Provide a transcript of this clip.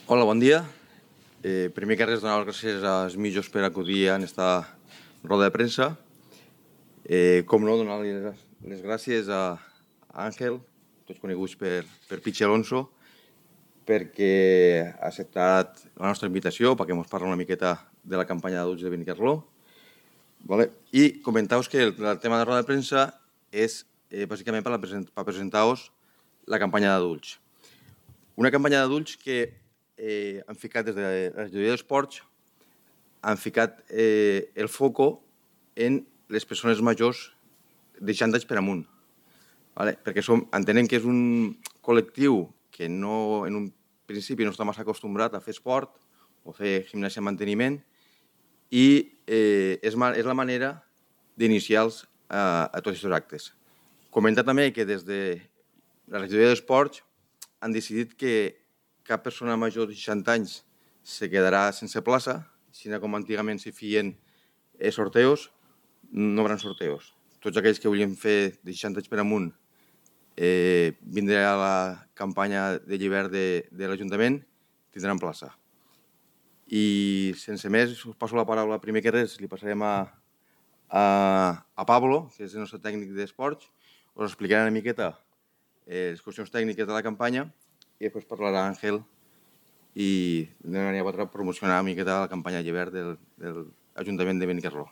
Hola, bon dia. Primer que res, donar les gràcies als mitjos per acudir a aquesta roda de premsa. Com no, donar les gràcies a Àngel, tots coneguts per Pichi Alonso, perquè ha acceptat la nostra invitació perquè ens parla una miqueta de la campanya d'adults de Benicarló. Vale? I comentar-vos que el tema de la roda de premsa és bàsicament per presentar-vos la campanya d'adults. Una campanya d'adults que han ficat des de la regidoria d'esports, han ficat el foco en les persones majors de 60 anys per amunt. Vale? Perquè entenem que és un col·lectiu que no, en un principi no està massa acostumbrat a fer esport o fer gimnàsia de manteniment i és la manera d'iniciar-los a tots aquests actes. Comentar també que des de la regidoria d'esports han decidit que cap persona major de 60 anys se quedarà sense plaça, sinó com antigament s'hi feien sorteos, no hi haurà sorteos. Tots aquells que volien fer de 60 anys per amunt vindrà a la campanya de l'hivern de l'Ajuntament, tindran plaça. I sense més, us passo la paraula. Primer que res, li passarem a Pablo, que és el nostre tècnic d'esports, us explicarà una miqueta les qüestions tècniques de la campanya i després parlarà Àngel i de manera per promocionar una miqueta la campanya d'hivern de l'Ajuntament de Benicarló.